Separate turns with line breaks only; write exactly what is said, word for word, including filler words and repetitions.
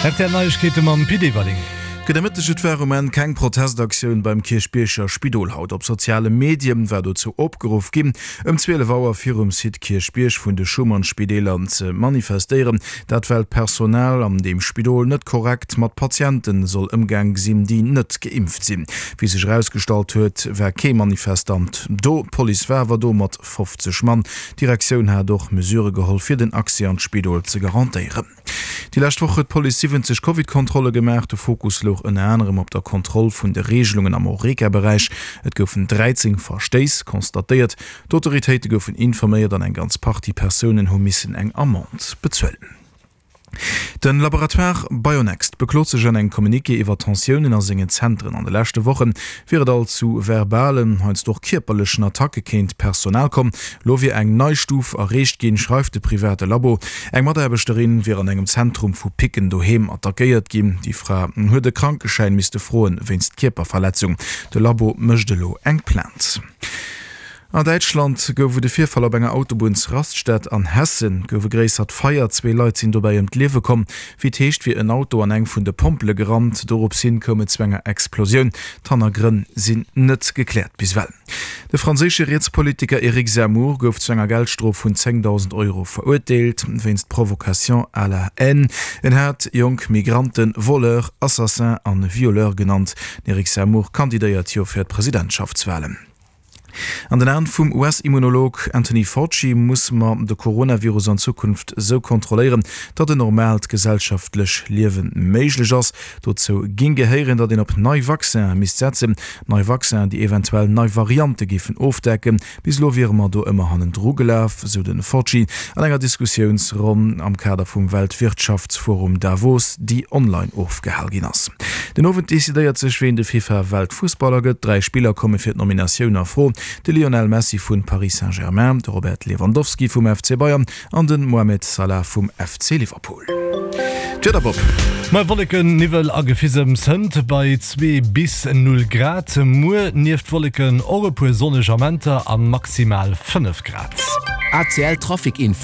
R T L Neiegkeete mam Pit Everling.
Gudde Mëtteg. Et war um Enn keng Protestaktioun beim Kierchbierger Spidol haut. Op soziale Medien war dozou opgeruff ginn, ëm zwielef Auer virum Site Kierchbierg vun de Schuman-Spideeler ze manifestéieren. Dat well d'Personal an deem Spidol net korrekt mat Patiente soll ëmgaang sinn, déi net geimpft sinn. Wéi sech erausgestallt huet, war kee Manifestant do. D'Police war awer do mat fofzeg Mann. D'Direktioun hat och Mesurë geholl, fir den Accès an d'Spidol ze garantéieren. Déi lescht Woch huet d'Police siwwenzeg Covid-Kontrolle gemaach. De Fokus louch ënner anerem op der Kontroll vun de Reegelungen am Horeca-Beräich. Et goufen dräizéng Verstéiss constatéiert. D'Autoritéite goufen informéiert an eng ganz Partie Persounen hu missen eng Amende bezuelen. De Laboratoire Bionext beklot sech an engem Communiqué iwwer Tensiounen a sengen Zentren. An de leschte Woche wier et alt zu verbalen, heiansdo och kierperlechen Attacke géint d'Personal komm. Lo wier eng nei Stuf erreecht ginn, schreift de private Labo. Eng Mataarbechterin wier an engem Zentrum vu Picken doheem attackéiert ginn. Déi Fra huet e Krankeschäin misste froen, wéinst Kierperverletzung. De Labo mécht elo eng Plainte. An Däitschland gouf et e Virfall op enger Autobunnsraststätt. An Hessen gouf e gréissert Feier, zwee Leit sinn dobäi ëm d'Liewe komm. Wéi et heescht, wier en Auto an eng vun de Pompele gerannt. Dorops hin koum et zu enger Explosioun. D'Hannergrënn sinn net gekläert bis ewell. De franséische Rietspolitiker Eric Zemmour gouf zu enger Geldstrof vun zéngdausend Euro verurteelt, wéinst Provocation à la haine. En hat jonk Migranten Voleurs, Assassins an Violeurs genannt. Den Eric Zemmour kandidéiert jo fir d'Presidentschaftswalen. An den Aen vum U S-Immunolog Anthony Fauci muss mer de Coronavirus an Zukunft sou kontrolléieren, datt en normaalt gesellschaftlech Liewe méiglech ass. Dozou géing gehéieren, datt een op nei Vaccinen misst setzen, nei Vaccinen, déi eventuell nei Variante géifen ofdecken. Bis elo wiere mer do ëmmer hannendru gelaf, sou de Fauci an enger Diskussiounsronn am Kader vum Weltwirtschaftsforum Davos, déi online ofgehal ginn ass. Den Owend decidéiert sech, ween de FIFA-Weltfussballer gëtt. Dräi Spiller komme fir d'Nominatioun a Fro, de Lionel Messi vu Paris Saint-Germain, de Robert Lewandowski vum F C Bayern an de Mohamed Salah vum F C Liverpool. D'Wieder, Bob.
Mei Wolleken, Niwwel a Gefisems hënt bei zwee bis null Grad. Muer nieft Wolleken och e puer sonneg Amenter a maximal fënnef Grad.
A C L Trafic Info.